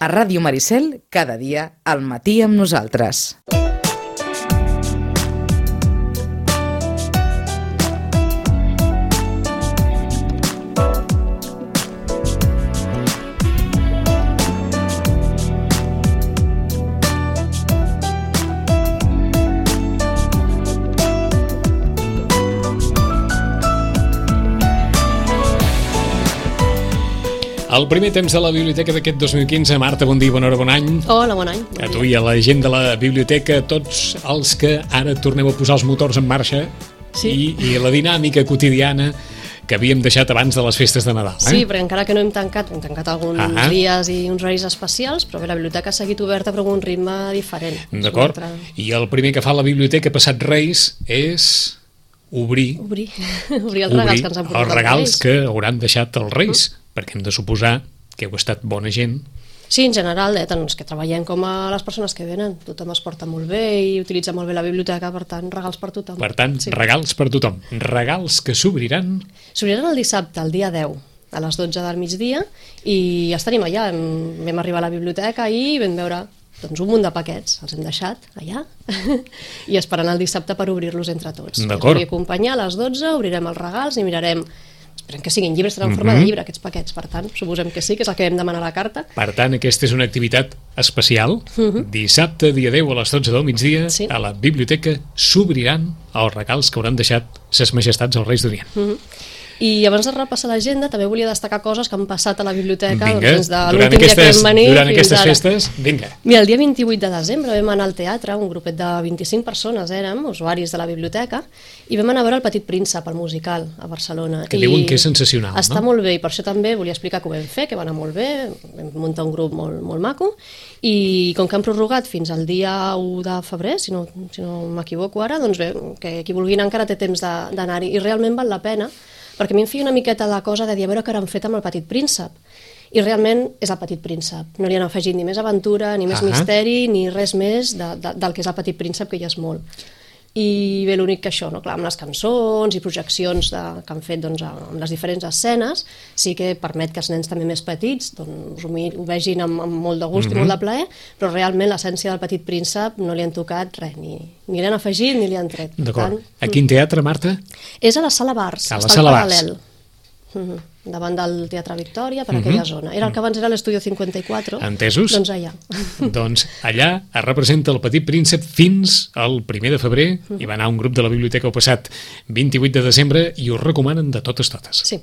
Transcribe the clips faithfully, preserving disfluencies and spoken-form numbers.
A Ràdio Maricel, cada dia, al matí amb nosaltres. El primer temps de la biblioteca d'aquest dos mil quinze. Marta, bon dia, bona hora, bon any. Hola, bon any. Bon a tu i a la gent de la biblioteca, tots els que ara torneu a posar els motors en marxa, sí. i, i la dinàmica quotidiana que havíem deixat abans de les festes de Nadal. Eh? Sí, perquè encara que no hem tancat, hem tancat alguns ah. dies i uns horaris especials, però bé, la biblioteca ha seguit oberta però amb un ritme diferent. D'acord. Altra... I el primer que fa la biblioteca passat Reis és... obrir, obrir. obrir els regals obrir que ens han portat els regals que hauran deixat els Reis, uh. perquè hem de suposar que heu estat bona gent. Sí, en general, eh, tant els que treballem com a les persones que venen. Tothom es porta molt bé i utilitza molt bé la biblioteca, per tant, regals per tothom. Per tant, sí. regals per tothom. Regals que s'obriran... S'obriran el dissabte, el dia deu, a les dotze del migdia, i ja estaríem allà. Vam arribar a la biblioteca i vam veure... doncs un munt de paquets, els hem deixat allà i esperant el dissabte per obrir-los entre tots. D'acord. Ens acompanyar a les dotze, obrirem els regals i mirarem, esperem que siguin llibres, estaran en forma de llibre aquests paquets, per tant, suposem que sí, que és el que vam demanar a la carta. Per tant, aquesta és una activitat especial. Uh-huh. Dissabte, dia deu, a les dotze del migdia, sí. a la biblioteca s'obriran els regals que hauran deixat ses majestats els Reis d'Orient. Uh-huh. I abans de repassar l'agenda també volia destacar coses que han passat a la biblioteca vinga, doncs, de durant aquestes, durant aquestes festes. Vinga. Mira, el dia vint-i-vuit de desembre vam anar al teatre, un grupet de vint-i-cinc persones érem, usuaris de la biblioteca, i vam anar a veure El Petit Príncep, el musical, a Barcelona. Que I diuen que és sensacional, està no? molt bé, i per això també volia explicar que ho vam fer, que va anar molt bé, vam muntar un grup molt, molt maco, i com que han prorrogat fins al dia u de febrer, si no, si no m'equivoco ara, doncs bé, que qui vulgui anar encara té temps d'anar-hi, i realment val la pena, perquè a mi em feia una miqueta de cosa de dir a veure què han fet amb El Petit Príncep, i realment és El Petit Príncep, no li han afegit ni més aventura, ni més uh-huh. misteri, ni res més de, de, del que és El Petit Príncep, que ja és molt. I bé, l'únic que això, no? Clar, amb les cançons i projeccions de, que han fet doncs, amb les diferents escenes, sí que permet que els nens també més petits doncs, ho, ho vegin amb, amb molt de gust mm-hmm. i molt de plaer, però realment l'essència del Petit Príncep no li han tocat res, ni, ni li han afegit ni li han tret. D'acord. A quin teatre, Marta? És a la Sala Bars, a la està Sala al paral·lel. Mm-hmm. Davant del Teatre Victòria, per mm-hmm. aquella zona. Era el que abans era l'Estudio cinquanta-quatre. Entesos? Doncs allà. Doncs allà es representa El Petit Príncep fins al primer de febrer, mm-hmm. i va anar un grup de la biblioteca el passat vint-i-vuit de desembre i ho recomanen de totes totes. Sí.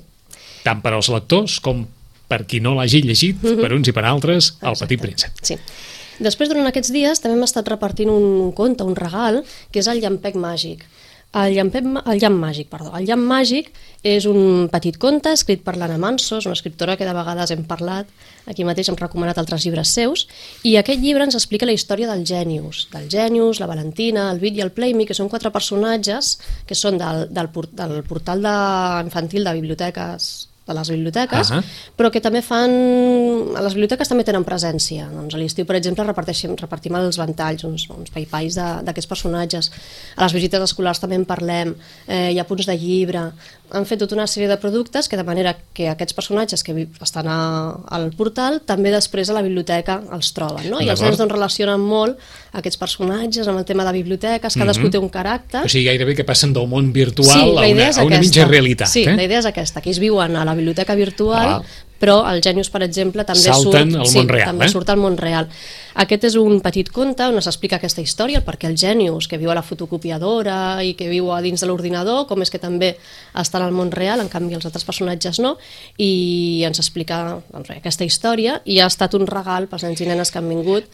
Tant per als lectors com per qui no l'hagi llegit, mm-hmm. per uns i per altres, El Exacte. Petit Príncep. Sí. Després, durant aquests dies, també hem estat repartint un conte, un regal, que és el Llampec Màgic. El llampec, el llamp màgic, perdó. El llamp màgic és un petit conte escrit per l'Anna Manso, és una escriptora que de vegades hem parlat, aquí mateix hem recomanat altres llibres seus, i aquest llibre ens explica la història del Genius, del Genius, la Valentina, el Vit i el Playme, que són quatre personatges que són del, del, del portal de, infantil de biblioteques de les biblioteques, uh-huh. però que també fan... A les biblioteques també tenen presència. Doncs a l'estiu, per exemple, repartim, repartim els ventalls, uns, uns paipais d'aquests personatges. A les visites escolars també en parlem, eh, hi ha punts de llibre. Han fet tota una sèrie de productes que de manera que aquests personatges que estan a, al portal també després a la biblioteca els troben, no? I els nens doncs, relacionen molt aquests personatges amb el tema de biblioteques, cadascú mm-hmm. té un caràcter. O sigui, gairebé que passen del món virtual sí, a, una, a una mitja realitat. Sí, eh? la idea és aquesta, que ells viuen a la biblioteca virtual, ah. però el Genius, per exemple, també Salten surt, al sí, món real, també eh? surt al món real. Aquest és un petit conte on s'explica aquesta història, perquè el Genius, que viu a la fotocopiadora i que viu a dins de l'ordinador, com és que també està al món real, en canvi els altres personatges no, i ens explica doncs, aquesta història, i ha estat un regal pels nens i nenes que han vingut,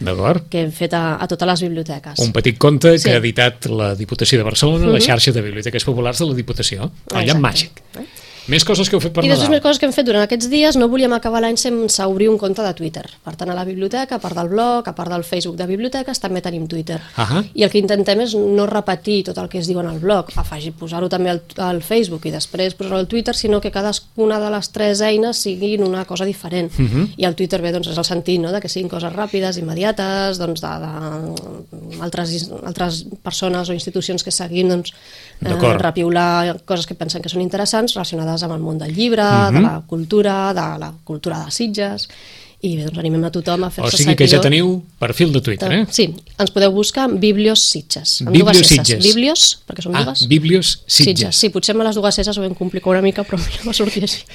que hem fet a, a totes les biblioteques. Un petit conte sí. que ha editat la Diputació de Barcelona, uh-huh. la xarxa de biblioteques populars de la Diputació, el Llamp Màgic. Eh? Més coses que heu fet per I Nadal. I després més coses que hem fet durant aquests dies. No volíem acabar l'any sense obrir un compte de Twitter. Per tant, a la biblioteca, a part del blog, a part del Facebook de biblioteques, també tenim Twitter. Uh-huh. I el que intentem és no repetir tot el que es diu en el blog, afegir, posar-ho també al, al Facebook i després posar-ho al Twitter, sinó que cadascuna de les tres eines siguin una cosa diferent. Uh-huh. I el Twitter bé, doncs, és el sentit, no?, de que siguin coses ràpides, immediates, doncs, de, de altres, altres persones o institucions que seguim, doncs, eh, repiular coses que pensen que són interessants relacionades amb el món del llibre, uh-huh. de la cultura, de la cultura de Sitges, I bé, doncs animem a tothom a fer-se seguidors. O sigui que ja teniu perfil de Twitter, eh? Sí, ens podeu buscar en Biblios Sitges. Biblios Sitges. Biblios, perquè són ah, dues. Ah, Biblios Sitges. Sí, potser amb les dues S ho vam complicar una mica, però mira, va sortir així.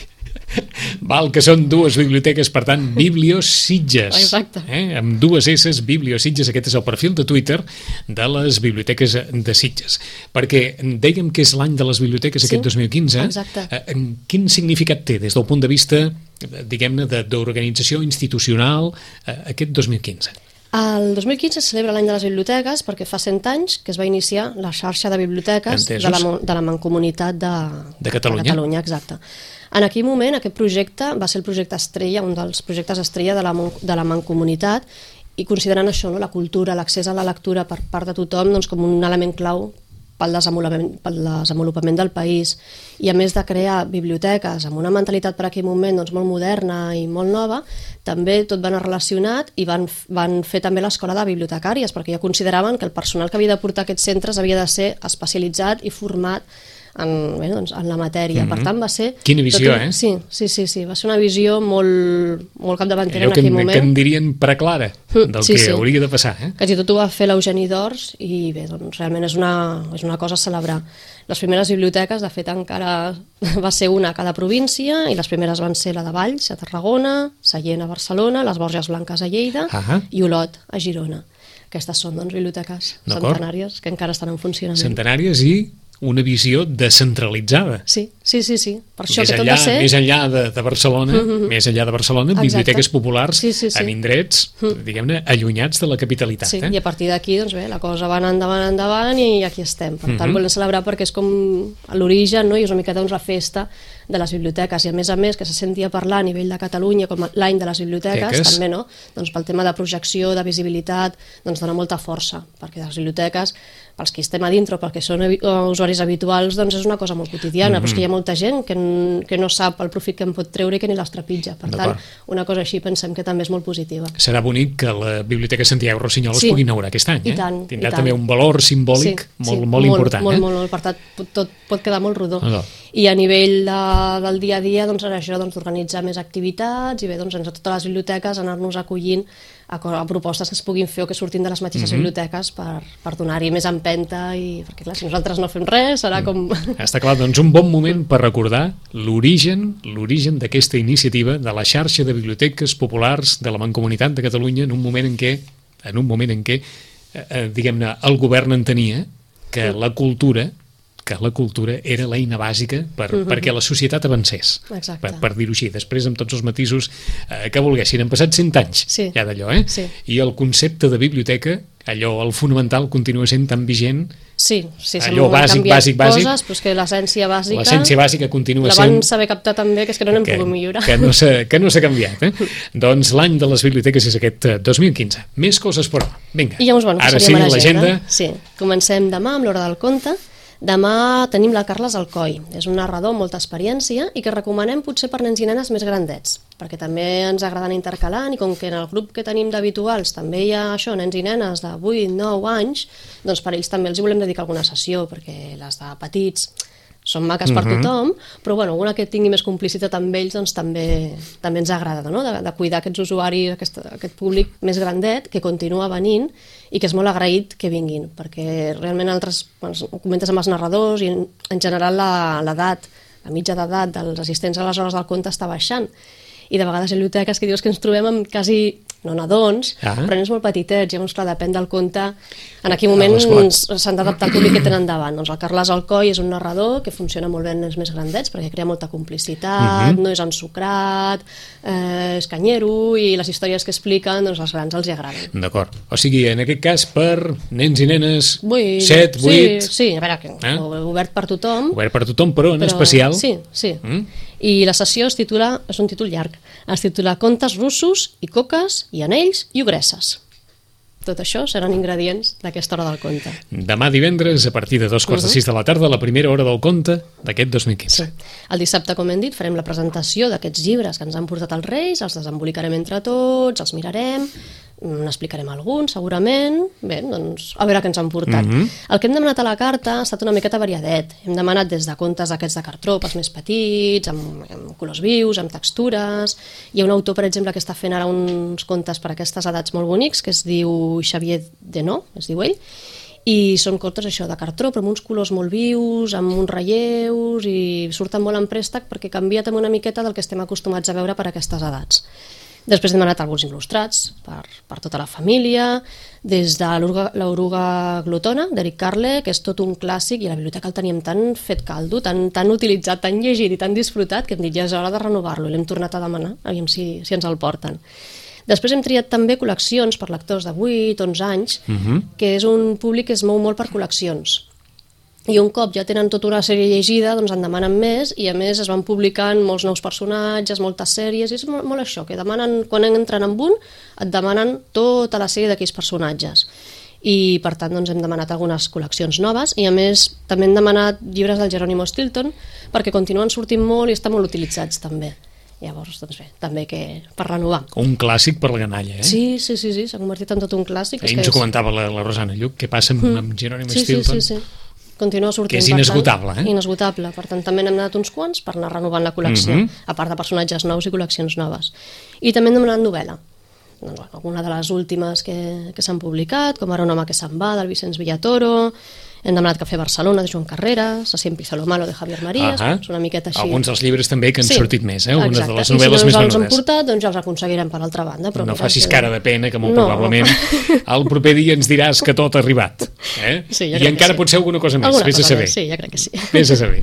Val, que són dues biblioteques, per tant, Biblios Sitges. Exacte. Eh? Amb dues S, Biblios Sitges, aquest és el perfil de Twitter de les biblioteques de Sitges. Perquè dèiem que és l'any de les biblioteques, sí, aquest dos mil quinze. Exacte. Eh, quin significat té des del punt de vista, diguem-ne, d'organització institucional eh, aquest dos mil quinze? El dos mil quinze es celebra l'any de les biblioteques perquè fa cent anys que es va iniciar la xarxa de biblioteques de la, de la Mancomunitat de, de Catalunya. de Catalunya, exacte. En aquell moment aquest projecte va ser el projecte estrella, un dels projectes estrella de la, de la Mancomunitat, i considerant això, no, la cultura, l'accés a la lectura per part de tothom, doncs, com un element clau pel desenvolupament, pel desenvolupament del país. I a més de crear biblioteques amb una mentalitat per aquell moment doncs, molt moderna i molt nova, també tot va anar relacionat i van, van fer també l'escola de bibliotecàries, perquè ja consideraven que el personal que havia de portar aquests centres havia de ser especialitzat i format en, bé, doncs, en la matèria. Mm-hmm. Per tant, va ser... Quina visió, un... eh? Sí, sí, sí, sí, va ser una visió molt, molt capdavantera en aquell moment. Allò que en dirien preclara del sí, que sí. hauria de passar, eh? Quasi tot ho va fer l'Eugeni d'Ors i bé, doncs realment és una, és una cosa a celebrar. Les primeres biblioteques, de fet, encara va ser una a cada província i les primeres van ser la de Valls, a Tarragona, Sallent a Barcelona, les Borges Blanques a Lleida uh-huh. i Olot a Girona. Aquestes són, doncs, biblioteques centenàries que encara estan en funcionament. Centenàries i una visió descentralitzada. Sí, sí, sí, sí. Per això més que tot enllà, va ser... Més enllà de, de Barcelona, mm-hmm. més enllà de Barcelona, exacte. Biblioteques populars sí, sí, sí. en indrets, mm. diguem-ne, allunyats de la capitalitat. Sí, eh? i a partir d'aquí, doncs bé, la cosa va anar endavant, endavant i aquí estem. Per tant, mm-hmm. volem celebrar perquè és com l'origen, no? I és una mica doncs, la festa de les biblioteques, i a més a més que se sentia parlar a nivell de Catalunya com l'any de les biblioteques, Teques. també, no? Doncs pel tema de projecció, de visibilitat, doncs dona molta força, perquè les biblioteques, pels que estem a dintre o pels que són usuaris habituals, doncs és una cosa molt quotidiana, mm-hmm. però és que hi ha molta gent que, que no sap el profit que en pot treure i que ni les trepitja. Per tant, una cosa així pensem que també és molt positiva. Serà bonic que la Biblioteca Santiago Rossinyol sí. es pugui inaugurar aquest any, eh? I tant, tindrà i tant. també un valor simbòlic sí, molt, sí, molt important. Molt, eh? molt, molt, per tant, tot pot quedar molt rodó. No. I a nivell de, del dia a dia, doncs, això d'organitzar doncs, més activitats i bé, doncs, a totes les biblioteques anar-nos acollint a, a propostes que es puguin fer o que surtin de les mateixes mm-hmm. biblioteques per, per donar-hi més empenta i perquè clar, si nosaltres no fem res serà com... Està clar, doncs un bon moment per recordar l'origen l'origen d'aquesta iniciativa de la xarxa de biblioteques populars de la Mancomunitat de Catalunya en un moment en què, en un moment en què eh, diguem-ne, el govern entenia que mm. la cultura que la cultura era l'eina bàsica per, uh-huh. perquè la societat avancés, per, per dir-ho així, després amb tots els matisos eh, que volguessin. Han passat cent anys sí. ja d'allò, eh? Sí. I el concepte de biblioteca, allò, el fonamental, continua sent tan vigent. Sí, sí, allò bàsic, bàsic, bàsic. Coses, però és que l'essència bàsica... L'essència bàsica continua la sent... van saber captar també, que és que no n'hem que, pogut millorar. Que no s'ha canviat, eh? Doncs l'any de les biblioteques és aquest dos mil quinze. Més coses, però. Vinga, I llavors, bueno, ara sí, l'agenda. Sí, comencem demà amb l'Hora del Conte. Demà tenim la Carles Alcoi, és un narrador amb molta experiència i que recomanem potser per nens i nenes més grandets, perquè també ens agrada anar intercalant i com que en el grup que tenim d'habituals també hi ha això, nens i nenes de vuit nou anys, doncs per ells també els hi volem dedicar alguna sessió, perquè les de petits són maques per uh-huh. tothom, però bueno, alguna que tingui més complicitat amb ells doncs també, també ens agrada, no? de, de cuidar aquests usuaris, aquest, aquest públic més grandet que continua venint i que és molt agraït que vinguin, perquè realment altres, bueno, comentes amb els narradors i en, en general l'edat, la mitja d'edat dels assistents a les hores del conte està baixant i de vegades hi ha biblioteques que dius que ens trobem amb quasi, no nadons, ah. però nens molt petitets, llavors clar, depèn del conte, en aquell moment ah, s'han d'adaptar al públic que tenen davant. Doncs el Carles Alcoi és un narrador que funciona molt bé en nens més grandets perquè crea molta complicitat, uh-huh. no és ensucrat, eh, és canyero i les històries que expliquen doncs als grans els hi agraden. D'acord, o sigui, en aquest cas per nens i nenes vuit, set, vuit... Sí, sí, a veure, que eh? obert per tothom. Obert per tothom, però en però, especial... Sí, sí. Mm? I la sessió es titula, és un títol llarg, es titula Contes russos i coques i anells i ogresses. Tot això seran ingredients d'aquesta hora del conte. Demà divendres, a partir de dos quarts uh-huh. de sis de la tarda, la primera hora del conte d'aquest dos mil quinze. Sí. El dissabte, com hem dit, farem la presentació d'aquests llibres que ens han portat els Reis, els desembolicarem entre tots, els mirarem, n'explicarem alguns, segurament. Bé, doncs, a veure què ens han portat. Mm-hmm. El que hem demanat a la carta ha estat una miqueta variadet. Hem demanat des de contes aquests de cartró, pels més petits, amb, amb colors vius, amb textures. Hi ha un autor, per exemple, que està fent ara uns contes per a aquestes edats molt bonics, que es diu Xavier Denó, es diu ell, i són contes això de cartró, però amb uns colors molt vius, amb uns relleus, i surten molt en préstec perquè canvia també una miqueta del que estem acostumats a veure per a aquestes edats. Després hem demanat alguns il·lustrats per, per tota la família, des de l'Oruga glotona, d'Eric Carle, que és tot un clàssic, i a la biblioteca el teníem tan fet caldo, tan, tan utilitzat, tan llegit i tan disfrutat, que hem dit ja és hora de renovar-lo, i l'hem tornat a demanar, aviam si, si ens el porten. Després hem triat també col·leccions per lectors de vuit, onze anys, uh-huh. que és un públic que es mou molt per col·leccions. I un cop ja tenen tota una sèrie llegida, doncs en demanen més, i a més es van publicant molts nous personatges, moltes sèries, i és molt, molt això, que demanen, quan entren en un, et demanen tota la sèrie d'aquells personatges. I per tant doncs, hem demanat algunes col·leccions noves, i a més també hem demanat llibres del Jerónimo Stilton, perquè continuen sortint molt i estan molt utilitzats també. Llavors, doncs bé, també que per renovar. Un clàssic per la canalla, eh? Sí, sí, sí, sí, s'ha convertit en tot un clàssic. Ahir ens ho comentava la, la Rosana Lluc, què passa amb, mm. amb Jerónimo sí, Stilton. Sí, sí, sí. Continua sortint, que és inesgotable, tant, eh? Inesgotable, per tant també n'hem donat uns quants per anar renovant la col·lecció, mm-hmm. a part de personatges nous i col·leccions noves. I també hem demanat novel·la, doncs, bueno, alguna de les últimes que, que s'han publicat, com ara Un home que se'n va, del Vicenç Villatoro. Hem demanat Cafè Barcelona, de Joan Carreras, A Siempre hizo lo malo, de Javier Marías. Uh-huh. És una miqueta així. Alguns dels llibres també que han sí, sortit més, eh? Algunes exacte. de les novel·les I si més no ens els han venudes. portat, doncs ja els aconseguirem per altra banda. Però no mira, facis que... cara de pena, que molt no. probablement el proper dia ens diràs que tot ha arribat. Eh? Sí, I encara sí. pot ser alguna cosa més, alguna vés a saber. Més, sí, ja crec que sí. Vés a saber.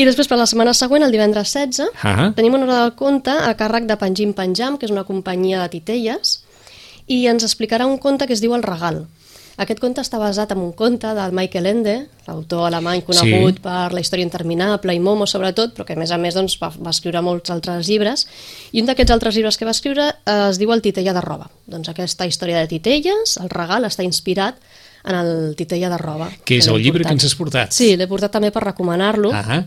I després, per la setmana següent, el divendres setze, uh-huh. tenim una hora del conte a càrrec de Panjim Panjam, que és una companyia de titelles, i ens explicarà un conte que es diu El regal. Aquest conte està basat en un conte del Michael Ende, l'autor alemany conegut sí. per La història interminable i Momo, sobretot, però que a més a més doncs, va, va escriure molts altres llibres, i un d'aquests altres llibres que va escriure eh, es diu El titella de roba. Doncs aquesta història de titelles, El regal, està inspirat en el titella de roba. Que és que el llibre portat. que ens has portat. Sí, l'he portat també per recomanar-lo. Uh-huh.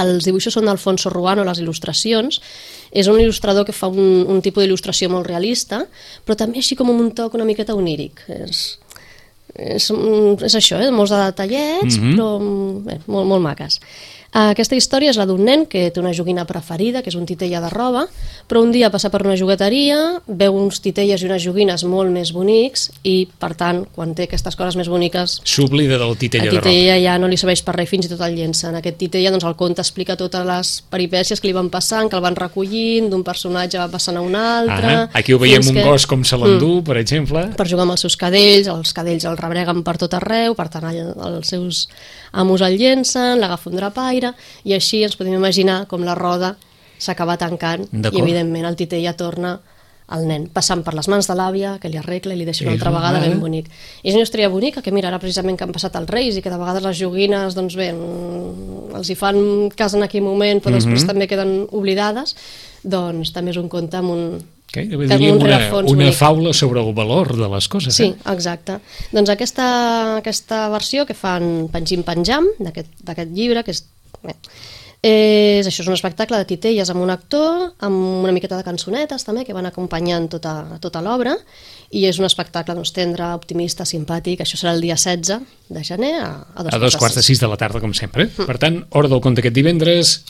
Els dibuixos són d'Alfonso Ruano, les il·lustracions. És un il·lustrador que fa un, un tipus d'il·lustració molt realista, però també així com un toc una miqueta oníric. És... És, és això, eh? Molts de detallets, mm-hmm. però bé, molt, molt maques. Aquesta història és la d'un nen que té una joguina preferida, que és un titella de roba, però un dia passa per una jugueteria, veu uns titelles i unes joguines molt més bonics i, per tant, quan té aquestes coses més boniques... S'oblida del titella de roba. El titella ja no li serveix per res, fins i tot el llença. En aquest titella, doncs, el conte explica totes les peripècies que li van passant, que el van recollint, d'un personatge va passant a un altre... Ah, aquí ho veiem un que... gos com se l'endú, mm. per exemple. Per jugar amb els seus cadells, els cadells el rebreguen per tot arreu, per tant, els seus amos el llencen, l'agafa un drapaire, i així ens podem imaginar com la roda s'acaba tancant i evidentment el titella torna al nen, passant per les mans de l'àvia, que li arregla i li deixa una altra vegada ben bonic. I és una història bonica, que mira, ara precisament que han passat els Reis i que de vegades les joguines, doncs bé, els hi fan cas en aquell moment, però després mm-hmm. també queden oblidades, doncs també és un conte amb un... Okay, diríem una, una faula sobre el valor de les coses. Sí, eh? exacte. Doncs aquesta, aquesta versió que fan Panjim Panjam, d'aquest llibre, que és... Bé, és això, és un espectacle de titelles amb un actor, amb una miqueta de cançonetes també, que van acompanyant tota, tota l'obra, i és un espectacle doncs, tendre, optimista, simpàtic. Això serà el dia setze de gener a, a dos, a dos quarts de sis de la tarda, com sempre. Mm. Per tant, hora del conte aquest divendres,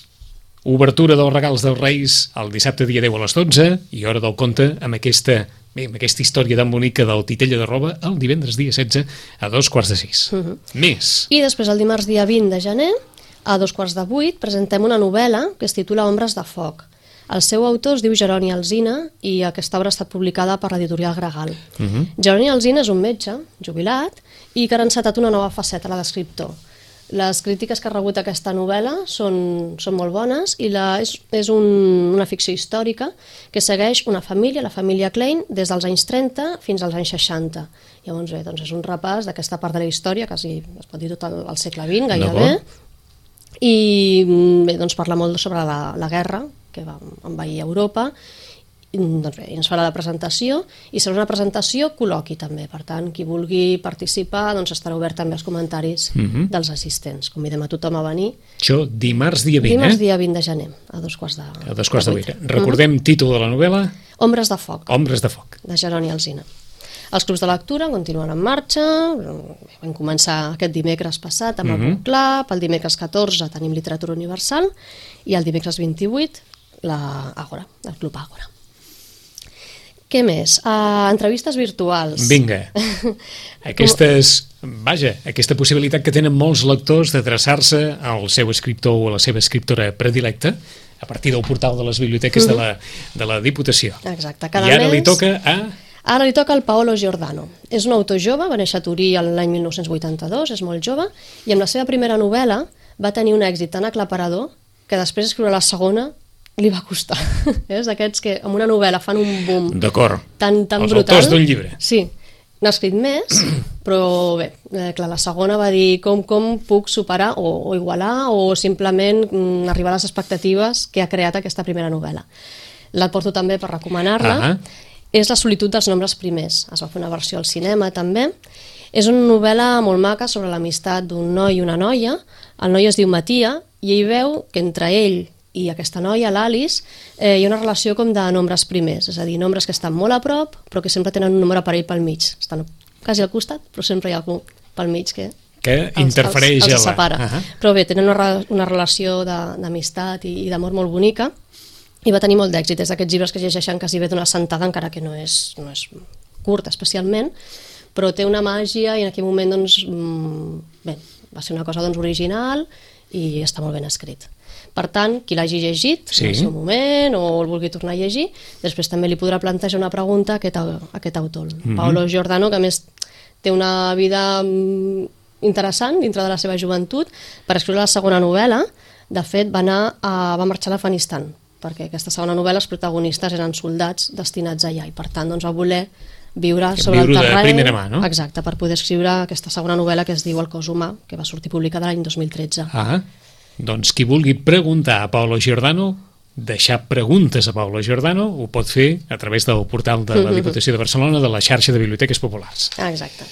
obertura dels regals dels Reis el dissabte dia deu a les dotze i hora del conte amb aquesta, bé, amb aquesta història tan bonica del titella de roba el divendres dia setze a dos quarts de sis. Mm-hmm. Més. I després el dimarts dia vint de gener a dos quarts de vuit presentem una novel·la que es titula Ombres de foc. El seu autor es diu Jeroni Alsina i aquesta obra ha estat publicada per l'editorial Gregal. Mm-hmm. Jeroni Alsina és un metge jubilat i que ha encetat una nova faceta, la d'escriptor. Les crítiques que ha rebut aquesta novel·la són, són molt bones i la, és, és un, una ficció històrica que segueix una família, la família Klein, des dels anys trenta fins als anys seixanta. Llavors, bé, doncs és un repàs d'aquesta part de la història, quasi es pot dir tot el, el segle vint, gairebé, i bé, doncs parla molt sobre la, la guerra que va envair Europa. Doncs bé, ens farà la presentació i serà una presentació col·loqui també, per tant qui vulgui participar doncs estarà obert també als comentaris mm-hmm. dels assistents. Convidem a tothom a venir. Això dimarts dia vint, dimarts eh? dia vint de gener a dos quarts de, a dos quarts de vuit. Recordem mm-hmm. títol de la novel·la? Ombres de foc, Ombres de foc. de Jeroni Alsina. Els clubs de lectura continuen en marxa, vam començar aquest dimecres passat amb el Mhm. Book Club, el dimecres catorze tenim Literatura Universal i el dimecres vint-i-vuit la Àgora, el Club Àgora. Què més? Uh, entrevistes virtuals. Vinga. Aquestes, vaja, aquesta possibilitat que tenen molts lectors d'adreçar-se al seu escriptor o a la seva escriptora predilecta a partir del portal de les biblioteques de la, de la Diputació. Exacte. Cada I ara mes... li toca a... Ara li toca al Paolo Giordano. És un autor jove, va néixer a Turí l'any mil nou-cents vuitanta-dos, és molt jove, i amb la seva primera novel·la va tenir un èxit tan aclaparador que després d'escriure la segona li va costar. És d'aquests que amb una novel·la fan un boom D'acord. tan, tan Els brutal. autors d'un llibre. Sí, n'ha escrit més, però bé, eh, clar, la segona va dir com, com puc superar o, o igualar o simplement mm, arribar a les expectatives que ha creat aquesta primera novel·la. La porto també per recomanar-la. Ah. És La solitud dels nombres primers. Es va fer una versió al cinema també. És una novel·la molt maca sobre l'amistat d'un noi i una noia. El noi es diu Matia i ell veu que entre ell i aquesta noia, l'Alice, eh, hi ha una relació com de nombres primers, és a dir, nombres que estan molt a prop però que sempre tenen un número parell pel mig. Estan quasi al costat, però sempre hi ha algú pel mig que, Que els, interfereix els, els a la... separa. Uh -huh. Però bé, tenen una, una relació de- d'amistat i, i d'amor molt bonica i va tenir molt d'èxit. És d'aquests llibres que es llegeixen quasi bé d'una sentada, encara que no és, no és curt especialment, però té una màgia i en aquell moment doncs, mmm, bé, va ser una cosa doncs, original i està molt ben escrit. Per tant, qui l'hagi llegit Sí. en el seu moment o el vulgui tornar a llegir, després també li podrà plantejar una pregunta a aquest, a aquest autor, Mhm. Paolo Giordano, que a més té una vida mm, interessant dintre de la seva joventut. Per escriure la segona novel·la, de fet, va, anar a, va marxar a l'Afganistan, perquè aquesta segona novel·la els protagonistes eren soldats destinats allà i per tant doncs, va voler viure sobre Viure el de terreny. primera mà, no? Exacte, per poder escriure aquesta segona novel·la que es diu El cos humà, que va sortir publicada l'any dos mil tretze. Ah, doncs qui vulgui preguntar a Paolo Giordano, deixar preguntes a Paolo Giordano, ho pot fer a través del portal de la Diputació de Barcelona de la xarxa de biblioteques populars. Ah, exacte.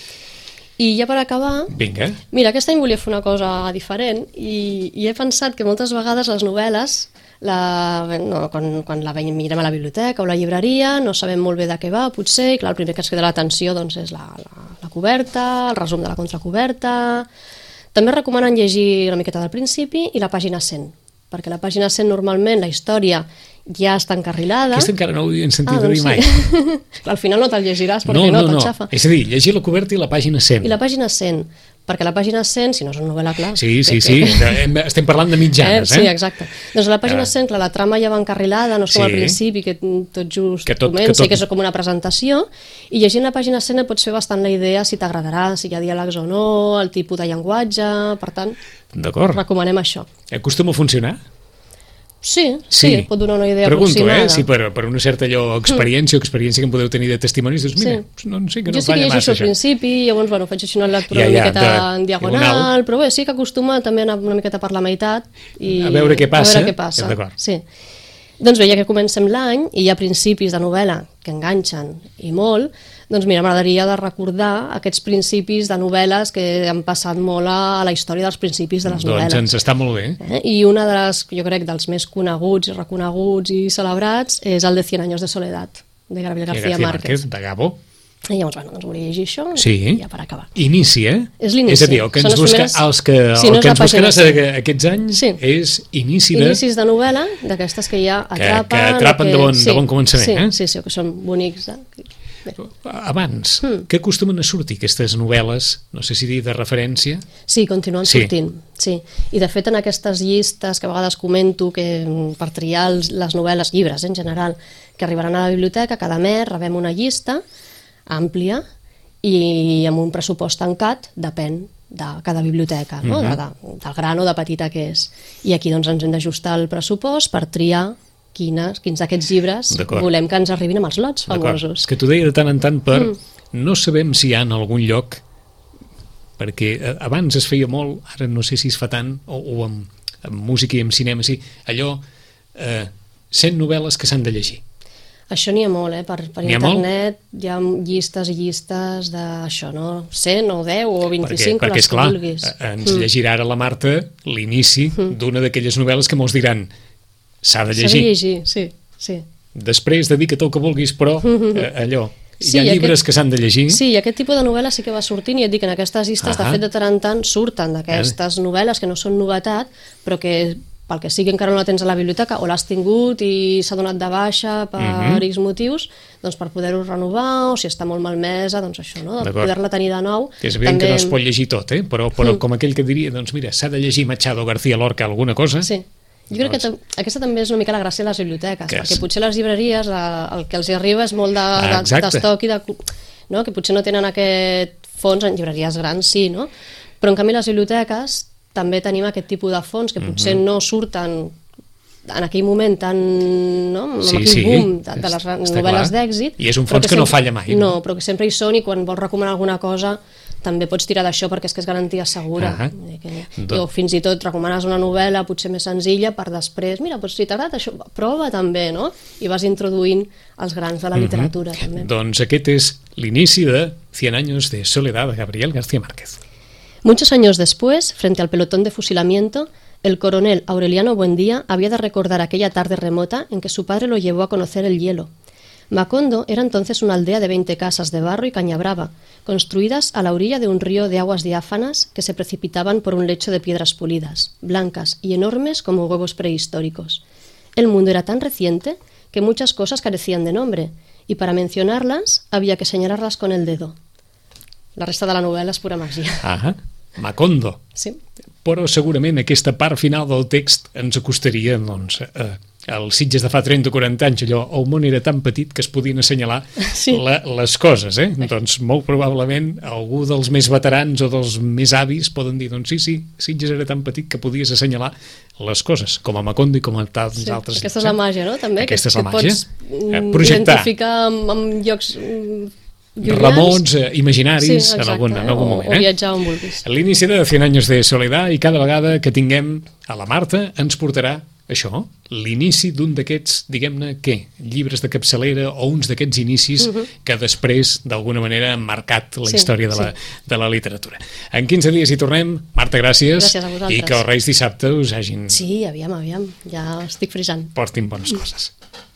I ja per acabar, Vinga. mira, aquest any volia fer una cosa diferent i, i he pensat que moltes vegades les novel·les, la, no, quan, quan la veiem, mirem a la biblioteca o a la llibreria, no sabem molt bé de què va, potser, i clar, el primer que ens crida l'atenció doncs, és la, la, la coberta, el resum de la contracoberta. També recomanen llegir una miqueta del principi i la pàgina cent, perquè la pàgina cent normalment la història ja està encarrilada. Aquesta encara no ho havien sentit Ah, a dir doncs mai. sí. Al final no te'l llegiràs perquè No, no, no, no. t'enxafa. És a dir, llegir la coberta i la pàgina cent. I la pàgina cent, perquè la pàgina cent, si no és una novel·la, clar... Sí, sí, que- sí. que- Hem- Estem parlant de mitjanes, Eh, eh? sí, exacte. Doncs a la pàgina Ah. cent, clar, la trama ja va encarrilada, no és com Sí. al principi, que tot just Que tot- comença que tot- i que és com una presentació, i llegint la pàgina cent et pots fer bastant la idea si t'agradarà, si hi ha diàlegs o no, el tipus de llenguatge, per tant, D'acord. recomanem això. Acostuma a funcionar? Sí, sí, sí, pot donar una idea Pregunto, aproximada. eh, si per, per una certa allò, experiència o experiència que em podeu tenir de testimonis, doncs mira, Sí. no, no sé, que no jo sí que falla llegeixo massa al això. principi, llavors bueno, faig així una lectura Ja, una ja, miqueta de- en diagonal, diagonal. però bé, sí que acostuma també a anar una miqueta per la meitat i A veure què passa. A veure què passa. D'acord. Sí. Doncs bé, ja que comencem l'any i hi ha principis de novel·la que enganxen i molt, doncs mira, m'agradaria de recordar aquests principis de novel·les que han passat molt a la història dels principis de les Doncs novel·les. ens està molt bé. Eh? I una de les, jo crec, dels més coneguts i reconeguts i celebrats és el de Cien años de soledad, de Gabriel García, García Márquez. de Gabo. I llavors, bueno, doncs volia llegir això Sí. i ja per acabar. Inici, eh? És l'inici. És a dir, el que Són ens, les busca, primeres- els que, Sí, el no és que la ens pàgina buscaràs cent. a- aquests anys Sí. és inici de... Inicis de novel·la, d'aquestes que ja Que- atrapen... que atrapen o de bon- de bon començament, sí, eh? Sí, sí, que són bonics. Eh? Bé. Abans, Hmm. què acostumen a sortir aquestes novel·les, no sé si dir de referència? Sí, continuen Sí. sortint. Sí. I de fet en aquestes llistes que a vegades comento que mm, per triar els, les novel·les, llibres en general, que arribaran a la biblioteca, cada mes rebem una llista àmplia i amb un pressupost tancat, depèn de cada biblioteca, no? Mhm. de, de, del gran o de petita que és. I aquí doncs ens hem d'ajustar el pressupost per triar quines, quins d'aquests llibres D'acord. volem que ens arribin amb els lots D'acord. famosos. És que t'ho deia de tant en tant per... Mm. No sabem si hi ha en algun lloc, perquè eh, abans es feia molt, ara no sé si es fa tant, o, o amb, amb música i amb cinema, sí, allò, eh, cent novel·les que s'han de llegir. Això n'hi ha molt, eh? Per, per N'hi ha molt? internet hi ha llistes i llistes d'això, no? cent o deu o Perquè, vint-i-cinc, perquè les és clar, que vulguis. eh, ens llegirà ara la Marta l'inici d'una d'aquelles novel·les que molts diran s'ha de S'ha de llegir. llegir, sí, sí. després dedica't el que vulguis, però eh, allò, hi ha Sí, llibres aquest- que s'han de llegir. Sí, i aquest tipus de novel·la sí que va sortint, i et dic, en aquestes llistes, Ahà. de fet, de tant en tant surten d'aquestes novel·les que no són novetat, però que pel que sigui encara no la tens a la biblioteca, o l'has tingut i s'ha donat de baixa per Mhm. X motius, doncs per poder-ho renovar, o si està molt malmesa, doncs això, no? De D'acord. poder-la tenir de nou. És evident que no es pot llegir tot, eh? però, però com aquell que diria, doncs mira, s'ha de llegir Machado, García Lorca, alguna cosa. Sí. Jo crec que tam- aquesta també és una mica la gràcia de les biblioteques, Que perquè és- potser les llibreries eh, el que els hi arriba és molt de- Ah, de- exacte. d'estoc i de... No? Que potser no tenen aquest fons, en llibreries grans sí, no? Però en canvi les biblioteques també tenim aquest tipus de fons que potser Mhm. no surten en aquell moment tan, no? amb Sí, aquell sí, boom de, de les està novel·les clar. d'èxit. I és un però fons que no falla mai, no? No, però que sempre hi són, i quan vols recomanar alguna cosa també pots tirar d'això perquè és que és garantia segura. Ahà. Vull dir que, Do- o fins i tot recomanes una novel·la potser més senzilla per després, mira, doncs si t'agrada això, prova també, no? I vas introduint els grans de la literatura també. Doncs aquest és l'inici de Cien años de soledad de Gabriel García Márquez. Muchos años después, frente al pelotón de fusilamiento, el coronel Aureliano Buendía había de recordar aquella tarde remota en que su padre lo llevó a conocer el hielo. Macondo era entonces una aldea de veinte casas de barro y caña brava, construidas a la orilla de un río de aguas diáfanas que se precipitaban por un lecho de piedras pulidas, blancas y enormes como huevos prehistóricos. El mundo era tan reciente que muchas cosas carecían de nombre, y para mencionarlas había que señalarlas con el dedo. La resta de la novel·la és pura màgia. Ah, Macondo. Sí. Però segurament aquesta part final del text ens acostaria, doncs, eh, als Sitges de fa trenta o quaranta anys, allò, el món era tan petit que es podien assenyalar Sí. la, les coses, eh? Doncs molt probablement algú dels més veterans o dels més avis poden dir, doncs sí, sí, Sitges era tan petit que podies assenyalar les coses, com a Macondo i com a tants Sí, altres. aquesta és la màgia, no? També, Aquesta és que, la que màgia. pots Eh, mm, projectar. identificar amb, amb llocs mm, llunyans. Remots, eh, imaginaris, Sí, en, exacte, algun, en algun o, moment. o Eh? viatjar on vulguis. L'inici de Cien años de soledad, i cada vegada que tinguem a la Marta ens portarà això, l'inici d'un d'aquests, diguem-ne, què? Llibres de capçalera o uns d'aquests inicis uh -huh. que després, d'alguna manera, han marcat la Sí, història de la, sí. de la literatura. En quinze dies hi tornem. Marta, gràcies. Gràcies a vosaltres. I que els Reis dissabte us hagin... Sí, aviam, aviam, ja estic frisant. portin bones coses.